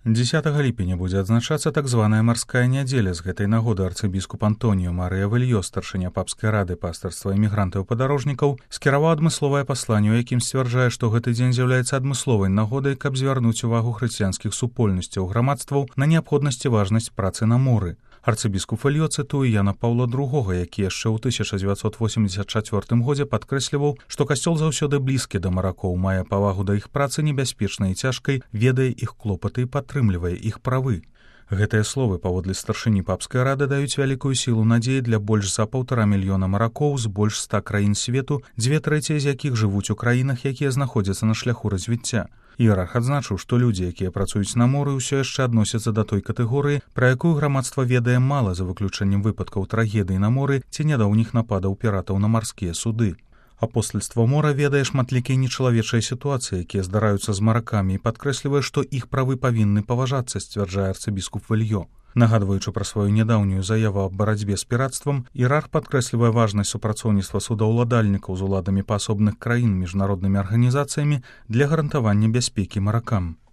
10 ліпеня будзе адзначацца так званая марская нядзеля. З гэтай нагоды арцыбіскуп Антоніо Марыя Вельё, старшыня папскай рады пастырства імігрантаў і падарожнікаў, скіраваў адмысловае пасланне, у якім сцвярджае, што гэты дзень з'яўляецца адмысловай нагодай, каб звярнуць увагу хрысціянскіх супольнасцяў грамадстваў на неабходнасць і важнасць працы на моры. Арцыбіскуп Вельё цытуе Яна Паўла II, які яшчэ ў 1984 годзе падкрэсліваў, што касцёл заўсёды блізкі да маракоў, мае павагу да іх працы небяспечнай і цяжкай, ведае іх клопаты і падтрымлівае іх правы. Гэтыя словы, паводле старшыні папскай рады, даюць вялікую сілу надзеі для больш за 1,5 мільёна маракоў з больш 100 краін свету, 2/3 з якіх жывуць у краінах, якія знаходзяцца на шляху развіцця. Іерарх адзначыў, што людзі, якія працуюць на моры, ўсё яшчэ адносяцца да той катэгорыі, пра якую грамадства ведае мала, за выключэннем выпадкаў трагедый на моры ці нядаўніх нападаў піратаў на марскія суды. Апостальства мора ведае шматлікія нечалавечыя сітуацыі, якія здараюцца з маракамі, і падкрэслівае, што іх правы павінны паважацца, сцвярджае арцыбіскуп Вельё. Нагадваючы пра сваю нядаўнюю заяву аб барацьбе з пірацтвам, іерарх падкрэслівае важнасць супрацоўніцтва судаўладальнікаў з уладамі паасобных краін, міжнароднымі арганізацыямі для гарантавання бяспекі маракам.